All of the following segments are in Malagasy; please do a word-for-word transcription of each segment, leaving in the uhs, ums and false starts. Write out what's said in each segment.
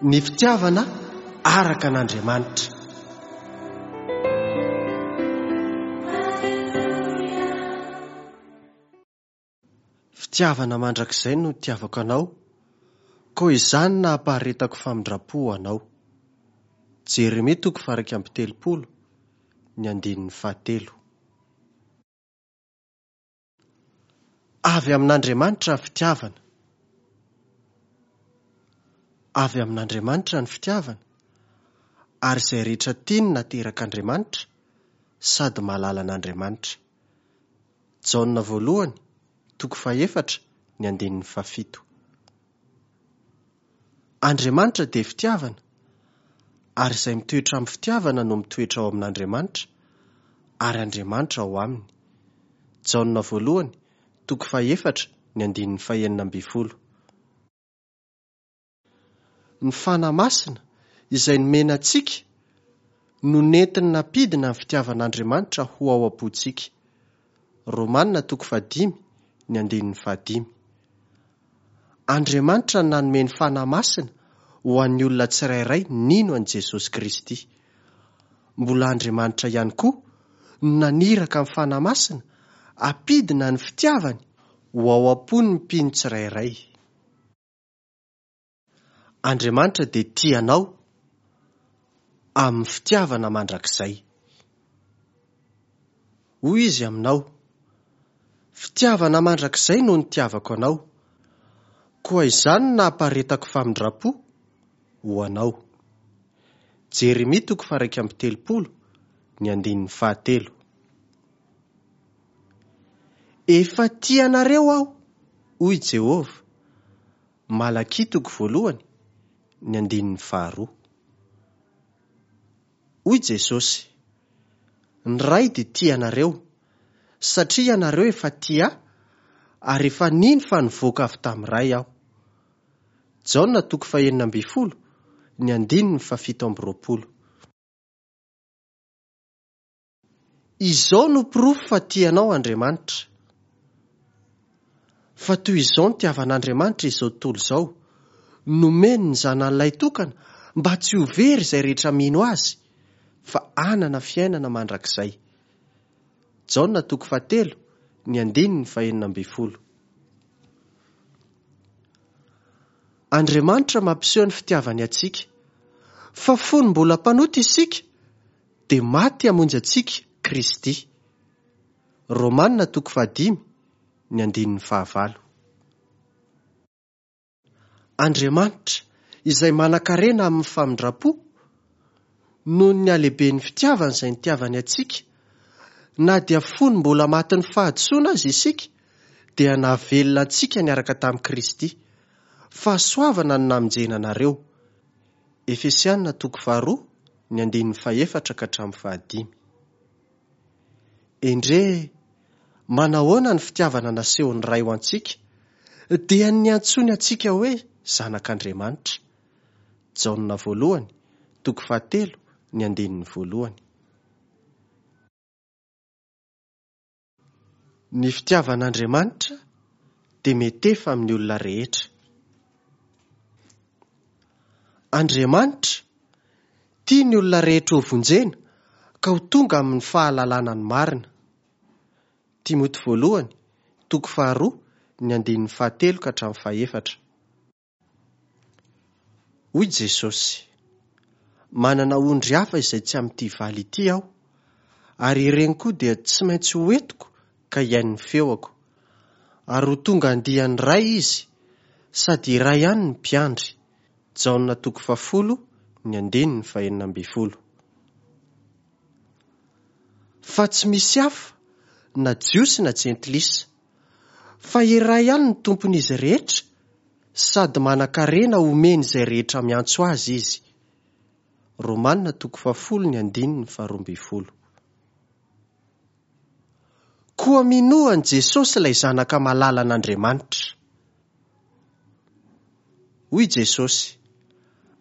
Ny fitiavana araka an'Andriamanitra. Fitiavana mandrakizay no nitiavako anao, koa izany no nampaharetako famindram-po ho anao. Jeremia toko faha-iraika amby telopolo, ny andininy fahatelo. Avy amin'Andriamanitra ny fitiavana. Avy amin'Andriamanitra ny fitiavana, ary izay rehetra tiany naterak'Andriamanitra sady mahalala an'Andriamanitra. Jaona voalohany, toko fahefatra, ny andininy fahafito. Andriamanitra dia fitiavana, ary izay mitoetra amin'ny fitiavana no mitoetra ao amin'Andriamanitra, ary Andriamanitra ao aminy. Jaona voalohany, toko fahefatra, ny andininy fahenina ambin'ny folo. Ny Fanahy Masina izay nomena antsika no nentiny nampidina ny fitiavan'Andriamanitra ho ao am-pontsika. Romana toko fahadimy, ny andininy fahadimy. Andriamanitra nanome ny Fanahy Masina ho an'ny olona tsirairay nino an'i Jesosy Kristy. Mbola Andriamanitra ihany koa no naniraka ny Fanahy Masina hampidina ny fitiavany ho ao am-pon'ny mpino tsirairay. Andriamanitra dia tia anao amin'ny fitiavana mandrakizay. Hoy izy aminao, fitiavana mandrakizay no nitiavako anao, koa izany no nampaharetako famindram-po ho anao. Jeremia toko faha-iraika amby telopolo, ny andininy fahatelo. Efa tia anareo aho, hoy Jehovah. Malakia toko voalohany, ny andininy faharoa. Hoy Jesosy, ny Ray dia tia anareo, satria ianareo efa tia ahy, ary efa nino fa nivoaka avy tamin'ny Ray aho. Jaona toko fahenina ambin'ny folo, ny andininy fahafito amby roapolo. Izao no porofo fa tia anao Andriamanitra. Fa toy izao no nitiavan'Andriamanitra izao tontolo izao, nomeny ny zanany lahitokana mba tsy ho very izay rehetra mino azy, fa hanana fiainana mandrakizay. Jaona toko fahatelo, ny andininy fahenina ambin'ny folo. Andriamanitra mampiseho ny fitiavany antsika, fa fony mbola mpanota isika, dia maty hamonjy antsika Kristy. Romana toko fahadimy, ny andininy fahavalo. Andriamanitra izay manan-karena amin'ny famindram-po, noho ny halehiben'ny fitiavany izay nitiavany antsika, na dia fony mbola matin'ny fahadisoana aza isika, dia nahavelona antsika niaraka tamin'i Kristy. Fahasoavana no namonjena anareo. Efesiana toko faharoa, ny andininy fahefatra ka hatramin'ny fahadimy. Endrey, manahoana ny fitiavana nasehon'ny Ray ho antsika, dia ny niantsoany antsika hoe zanak'Andriamanitra. Jaona voalohany, toko fahatelo, ny andininy voalohany. Ny fitiavan'Andriamanitra dia mietefa amin'ny olona rehetra. Andriamanitra tia ny olona rehetra ho vonjena ka ho tonga amin'ny fahalalana ny marina. Timoty voalohany, toko faharoa, ny andininy fahatelo ka hatramin'ny fahefatra. Hoy Jesosy, manana ondry hafa izay tsy amin'ity valy ity aho, ary ireny koa dia tsy maintsy ho entiko ka hihaino ny feoko. Ary ho tonga andiany iray izy, sady iray ihany ny mpiandry. Jaona toko fahafolo, ny andininy fahenina ambin'ny folo. Fa tsy misy hafa, na Jiosy na Jentilisa, fa iray ihany ny tompon'izy rehetra, sady manan-karena omeny izay rehetra miantso azy izy. Romana toko fahafolo, ny andininy faharoa ambin'ny folo. Koa minoa an'i Jesosy ilay zanaka malalan'Andriamanitra. Hoy Jesosy,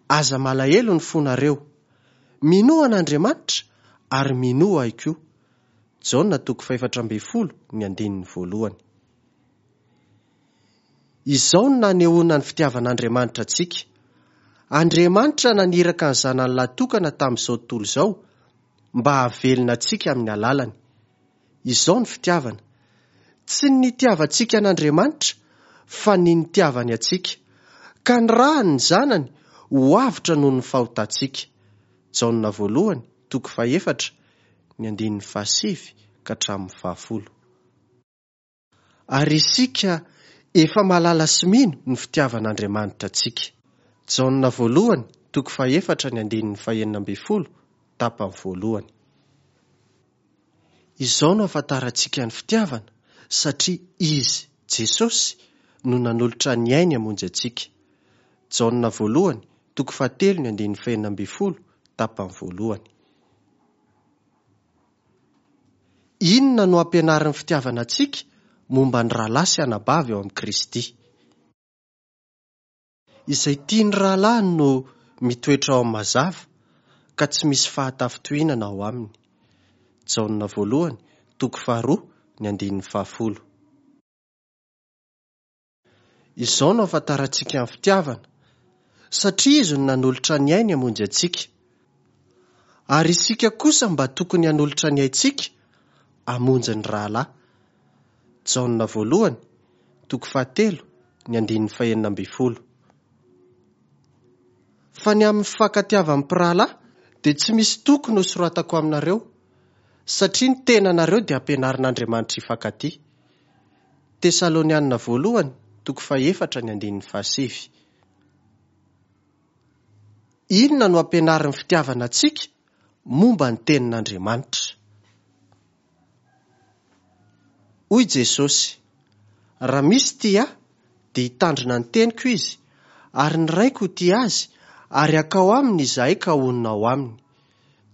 aza malahelo ny fonareo, minoa an'Andriamanitra ary minoa ahy koa. Jaona toko fahefatra ambin'ny folo, ny andininy voalohany. Izao no nanehoana ny fitiavan'Andriamanitra antsika. Andriamanitra naniraka ny zanany lahy-tokana tamin'izao tontolo izao mba hahavelona antsika amin'ny alalany. Izao ny fitiavana. Tsy ny nitiavantsika an'Andriamanitra fa ny nitiavany antsika, ka nirahany ny zanany ho avotra noho ny fahotantsika. Jaona voalohany, toko fahefatra, ny andininy fahasivy ka hatramin'ny fahafolo. Ary isika efa mahalala sy mino ny fitiavan'Andriamanitra antsika. Jaona voalohany, toko fahefatra, ny andininy fahenina ambin'ny folo, tapany voalohany. Izao no ahafantarantsika ny fitiavana, satria Izy, Jesosy, no nanolotra ny ainy hamonjy antsika. Jaona voalohany, toko fahatelo, ny andininy fahenina ambin'ny folo, tapany voalohany. Inona no ampianarin'ny fitiavana antsika momba ny rahalahy sy anabavy ao amin'i Kristy? Izay tia ny rahalahiny no mitoetra ao amin'ny mazava, ka tsy misy fahatafintohinana ao aminy. Jaona voalohany, toko faharoa, ny andininy fahafolo. Izao no ahafantarantsika ny fitiavana, satria Izy no nanolotra ny ainy hamonjy antsika. Ary isika kosa mba tokony hanolotra ny aintsika hamonjy ny rahalahy. Jaona voalohany, toko fahatelo, ny andininy fahenina ambin'ny folo. Fa ny amin'ny fifankatiavan'ny mpirahalahy dia tsy misy tokony ho soratako aminareo, satria ny tenanareo dia ampianarin'Andriamanitra hifankatia. Tesalonianina voalohany, toko fahefatra, ny andininy fahasivy. Inona no ampianarin'ny fitiavana antsika momba ny tenin'Andriamanitra? Hoy Jesosy, raha misy tia ahy, dia hitandrina ny teniko izy, ary ny Raiko ho tia azy, ary hakao aminy izahay ka honina ao aminy.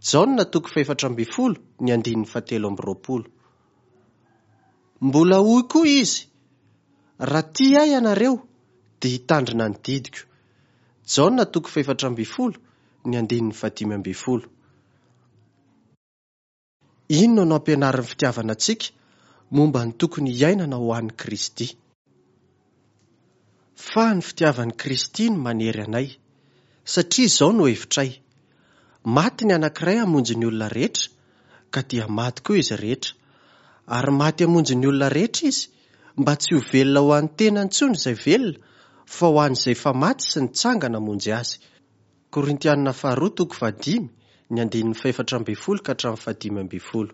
Jaona toko fahefatra ambin'ny folo, ny andininy fahatelo amby roapolo. Mbola hoy koa izy, raha tia ahy ianareo, dia hitandrina ny didiko. Jaona toko fahefatra ambin'ny folo, ny andininy fahadimy ambin'ny folo. Inona no ampianarin'ny fitiavana antsika momba ny tokony hiainana ho an'i Kristy? Fa ny fitiavan'i Kristy no manery anay, satria izao no hevitray. Maty ny anankiray hamonjy ny olona rehetra, ka dia maty koa izy rehetra. Ary maty hamonjy ny olona rehetra izy, mba tsy ho velona ho an'ny tenany intsony izay velona, fa ho an'izay efa maty sy nitsangana hamonjy azy. Korintianina faharoa toko fahadimy, ny andininy fahefatra ambin'ny folo ka hatramin'ny fahadimy ambin'ny folo.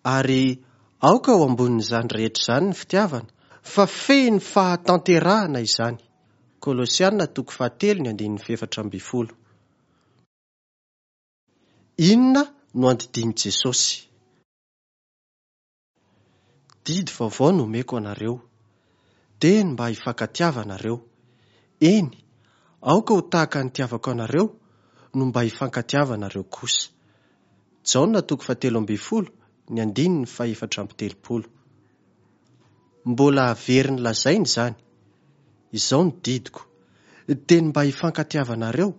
Ary aoka ho ambonin'izany rehetra izany ny fitiavana, fa fehin'ny fahatanterahana izany. Kolosiana toko fahatelo, ny andininy fahefatra ambin'ny folo. Inona no andidian'i Jesosy? Didy vaovao no omeko anareo, dia ny mba hifankatiavanareo. Eny, aoka ho tahaka ny nitiavako anareo no mba hifankatiavanareo kosa. Jaona toko fahatelo ambin'ny folo, ny andininy fahefatra amby telopolo. Mbola averiny lazaina izany. Izao no didiko, dia ny mba hifankatiavanareo,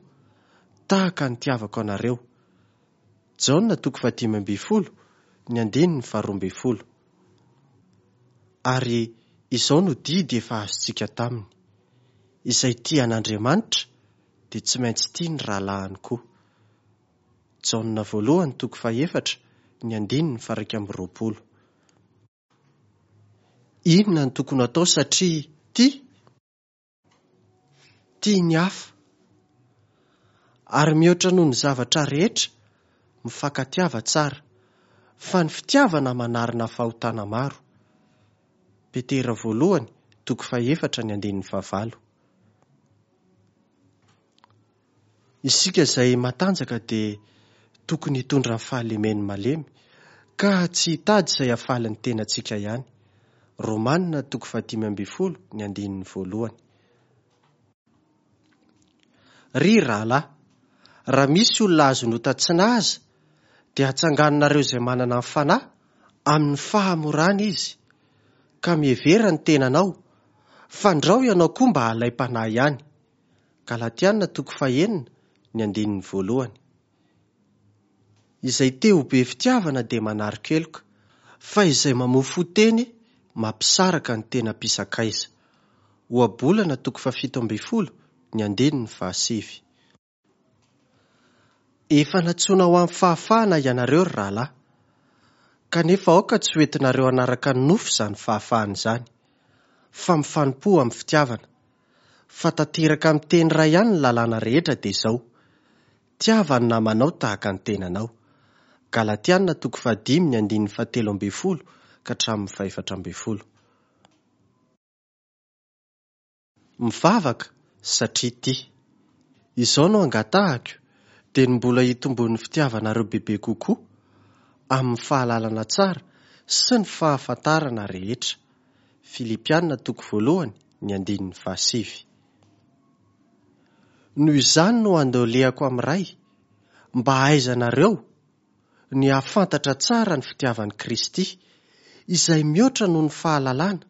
tahaka ny nitiavako anareo. Jaona toko fahadimy ambin'ny folo, ny andininy faharoa ambin'ny folo. Ary izao no didy efa azontsika taminy. Izay tia an'Andriamanitra dia tsy maintsy tia ny rahalahiny koa. Jaona voalohany toko fahefatra, ny andininy faha-iraika amby roapolo. Inona no tokony atao satria tia? Tia ny hafa. Ary mihoatra noho ny zavatra rehetra, mifankatiava tsara, fa ny fitiavana manarina fahotana maro. Petera voalohany, toko fahefatra, ny andininy fahavalo. Isika izay matanjaka dia tokony hitondra ny fahalemen'ny malemy, ka tsy hitady izay hahafaly ny tenantsika ihany. Romanina toko fahadimy ambin'ny folo, ny andininy voalohany. Ry rahalahy, raha misy olona azon'ota tsy nahaza, dia atsanganonareo izay manana ny fanahy amin'ny fahamorana izy, ka mihevera ny tenanao, fandrao ianao koa mba halaim-panahy ihany. Galatiana toko fahenina, ny andininy voalohany. Izay te ho be fitiavana dia manari-keloka, fa izay mamofo teny mampisaraka ny tena mpisakaiza. Ohabolana toko fahafito ambin'ny folo, ny andininy fahasivy. Efa nantsoina ho amin'ny fahafahana ianareo ry rahalahy, kanefa aoka tsy ho entinareo hanaraka ny nofo izany fahafahana izany, fa mifanompoa amin'ny fitiavana. Fa tanteraka amin'ny teny iray ihany ny lalàna rehetra dia izao: tiava ny namanao tahaka ny tenanao. Galatiana toko fahadimy ny andininy fahatelo ambin'ny folo ka hatramin'ny fahefatra ambin'ny folo. Mivavaka satria tia. Izao no angatahako, dia ny mbola hitomboan'ny fitiavanareo bebe kokoa amin'ny fahalalana tsara sy ny fahafantarana rehetra. Filipiana toko voalohany ny andininy fahasivy. Noho izany no andolehako amin'ny Ray, mba hahaizanareo ny hahafantatra tsara ny fitiavan'i Kristy, izay mihoatra noho ny fahalalana,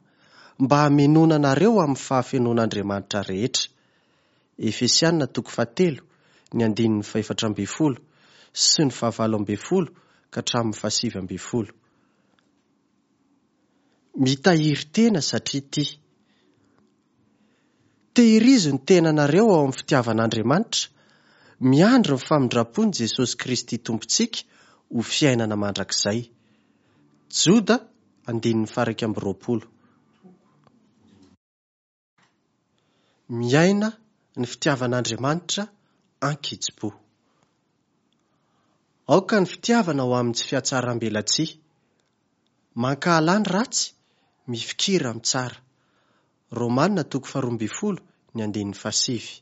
mba hamenoana anareo amin'ny fahafenoan'Andriamanitra rehetra. Efesiana toko fahatelo ny andininy fahefatra ambin'ny folo sy ny fahavalo ambin'ny folo ka hatramin'ny fahasivy ambin'ny folo. Mitahiry tena satria tia. Tehirizo ny tenanareo ao amin'ny fitiavan'Andriamanitra, miandry ny famindram-pon'i Jesosy Kristy Tompontsika ho fiainana mandrakizay. Joda andininy faha-iraika amby roapolo. Miaina ny fitiavan'Andriamanitra ankitsipo. Aoka ny fitiavana ho amin'ny tsy fihatsaram-belatsihy. Mankahala ny ratsy, mifikira amin'ny tsara. Romana toko faharoa ambin'ny folo ny andininy fahasivy.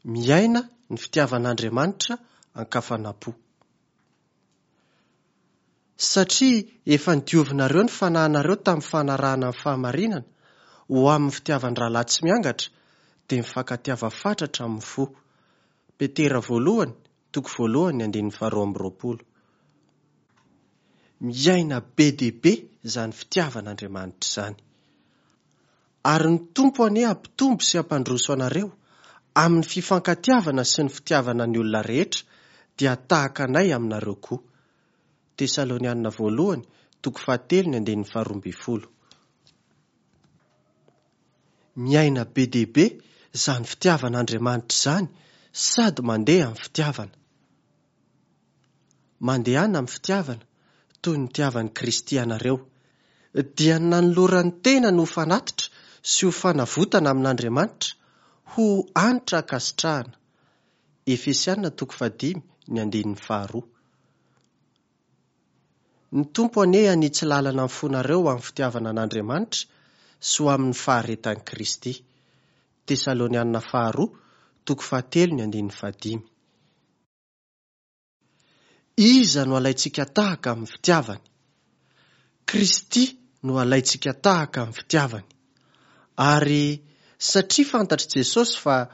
Miaina ny fitiavan'Andriamanitra ankafanam-po. Satria efa nodiovinareo ny fanahinareo tamin'ny fanarahana ny fahamarinana ho amin'ny fitiavan-drahalahy tsy miangatra, dia mifankatiava fatratra amin'ny fo. Petera voalohany, toko voalohany, andininy faharoa amby roapolo. Miaina be dia be izany fitiavan'Andriamanitra izany. Ary ny Tompo anie hampitombo sy hampandroso anareo amin'ny fifankatiavana sy ny fitiavana ny olona rehetra, dia tahaka anay aminareo koa. Tesalonianina voalohany, toko fahatelo, ny andininy faharoa ambin'ny folo. Miaina be dia be izany fitiavan'Andriamanitra izany sady mandeha amin'ny fitiavana. Mandehana amin'ny fitiavana toy ny nitiavan'i Kristy anareo, dia nanolorany tena no fanatitra sy ho fanavotana amin'Andriamanitra ho hanitra ankasitrahana. Efesiana toko fahadimy ny andininy faharoa. Ny Tompo anie hanitsy lalana ny fonareo amin'ny fitiavana an'Andriamanitra sy ho amin'ny faharetan'i Kristy. Tesalonianina faharoa toko fahatelo ny andininy fahadimy. Iza no alaintsika tahaka amin'ny fitiavany? Kristy no alaintsika tahaka amin'ny fitiavany. Ary satria fantatr'i Jesosy fa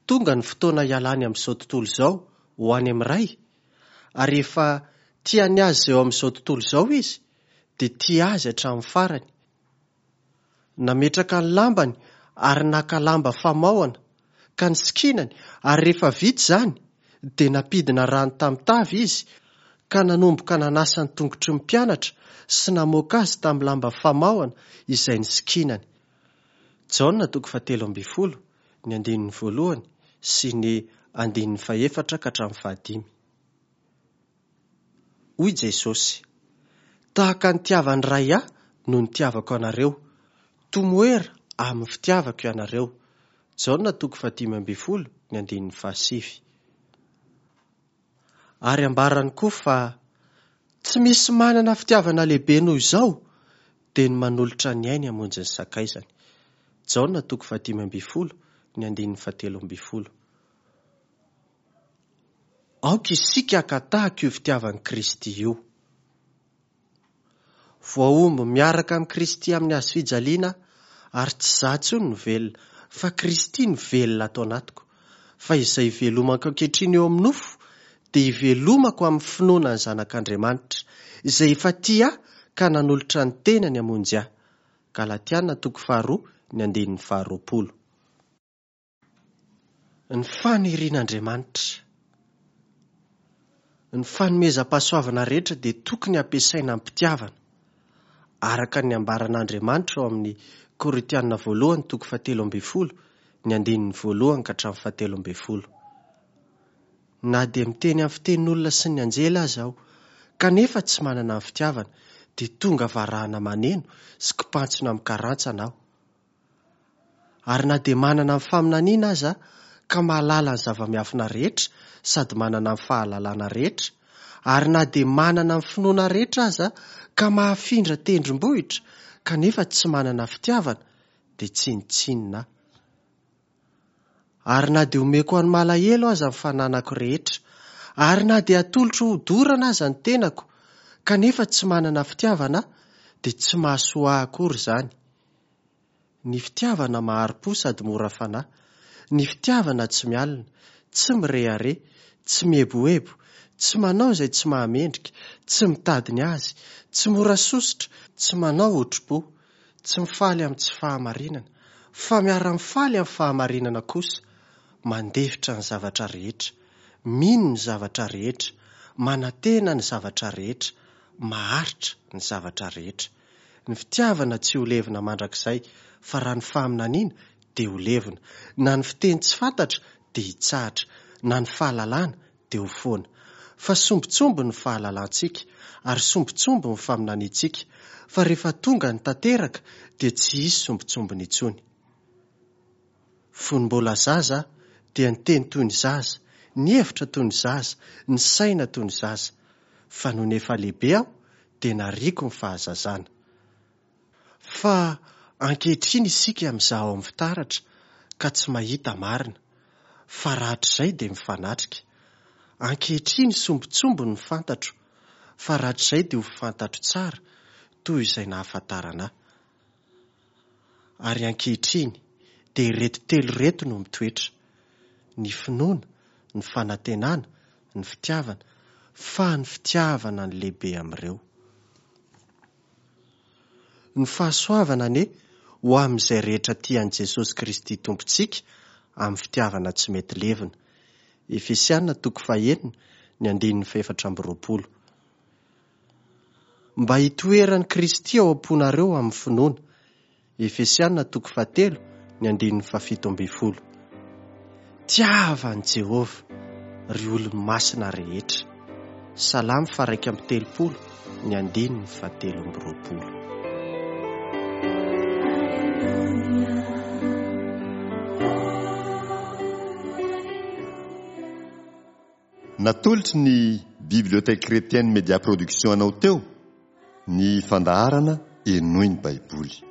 tonga ny fotoana hialany amin'izao tontolo izao ho any amin'ny Ray, ary efa tiany azy eo amin'izao tontolo izao izy, dia tia azy hatramin'ny farany. Nametraka ny lambany ary naka lamba famaohana ka nisikinany, ary rehefa vita izany dia nampidina rano tamin'ny tavy izy ka nanomboka nanasa ny tongotry ny mpianatra sy namoaka azy tamin'ny lamba famaohana izay nisikinany. Jaona toko fahatelo ambin'ny folo ny andininy voalohany sy ny andininy fahefatra ka hatramin'ny fahadimy. Hoy Jesosy: tahaka ny nitiavan'ny Ray ahy no nitiavako anareo, tomoera amin'ny fitiavako ianareo. Jaona toko fahadimy ambin'ny folo ny andininy fahasivy. Ary ambarany koa fa tsy misy manana fitiavana lehibe noho izao, dia ny manolotra ny ainy hamonjy ny sakaizany. Jaona toko fahadimy ambin'ny folo ny andininy fahatelo ambin'ny folo. Aoka isika haka tahaka io fitiavan'i Kristy io. Voahombo miaraka amin'i Kristy amin'ny hazo fijaliana, ary tsy izaho intsony no velona, fa Kristy no velona ato anatiko. Fa izay ivelomako ankehitriny eo amin'ny nofo, dia ivelomako amin'ny finoana ny Zanak'Andriamanitra, izay efa tia ahy ka nanolotra ny tenany hamonjy ahy. Galatiana toko faharoa ny andininy faharoapolo. Ny fanirian'Andriamanitra. Ny fanomezam-pahasoavana rehetra dia tokony hampiasaina am-pitiavana, araka ny ambaran'Andriamanitra ao amin'ny Korintiana voalohany toko fahatelo ambin'ny folo, ny andininy voalohany ka hatramin'ny fahatelo ambin'ny folo. Na dia miteny amin'ny fitenin'olona sy ny anjely aza aho, kanefa tsy manana ny fitiavana, dia tonga varahana maneno sy kipantsona mikarantsana aho. Ary na dia manana ny faminaniana aza ka mahalala ny zava-miafina rehetra sady manana ny fahalalana rehetra, ary na dia manana ny finoana rehetra aza ka mahafindra tendrombohitra kanefa tsy manana fitiavana, dia tsinontsinona aho. Ary na dia omeko an'ny malahelo aza ny fananako rehetra, ary na dia atolotro ho dorana aza ny tenako, kanefa tsy manana fitiavana aho, dia tsy mahasoa ahy akory izany. Ny fitiavana mahari-po sady mora fanahy, ny fitiavana tsy mialona, tsy mirehareha, tsy mieboebo, tsy manao izay tsy mahamendrika, tsy mitady ny azy, tsy mora sosotra, tsy manao otri-po, tsy mifaly amin'ny tsy fahamarinana, fa miara-mifaly amin'ny fahamarinana kosa, mandefitra ny zavatra rehetra, mino ny zavatra rehetra, manantena ny zavatra rehetra, maharitra ny zavatra rehetra. Ny fitiavana tsy ho levona mandrakizay, fa raha ny faminaniana dia ho levona, na ny fiteny tsy fantatra dia hitsahatra, na ny fahalalana dia ho foana. Fa sombintsombiny ny fahalalantsika ary sombintsombiny ny faminaniantsika, fa rehefa tonga ny tanteraka dia tsy hisy sombintsombiny intsony. Fony mbola zaza dia niteny toy ny zaza, nihevitra toy ny zaza, nisaina toy ny zaza, fa nony efa lehibe aho dia nariako ny fahazazana. Fa ankehitriny isika mizaha ao amin'ny fitaratra ka tsy mahita marina, fa rahatrizay dia mifanatrika. Ankehitriny sombintsombiny ny fantatro, fa rahatrizay dia ho fantatro tsara toy izay nahafantarana ahy. Ary ankehitriny dia ireto telo ireto no mitoetra: ny finoana, ny fanantenana, ny fitiavana, fa ny fitiavana ny lehibe amin'ireo. Ny fahasoavana anie ho amin'izay rehetra tia an'i Jesosy Kristy Tompontsika amin'ny fitiavana tsy mety levona. Efesiana toko fahenina, ny andininy fahefatra amby roapolo. Mba hitoeran'i Kristy ao am-ponareo amin'ny finoana. Efesiana toko fahatelo, ny andininy fahafito ambin'ny folo. Tiava an'i Jehovah, ry olony masina rehetra. Salamo faha-iraika amby telopolo, ny andininy fahatelo amby roapolo. Natolotry ny Bibliothèque Chrétienne Média Production anao teo ny fandaharana Henoy ny Baiboly.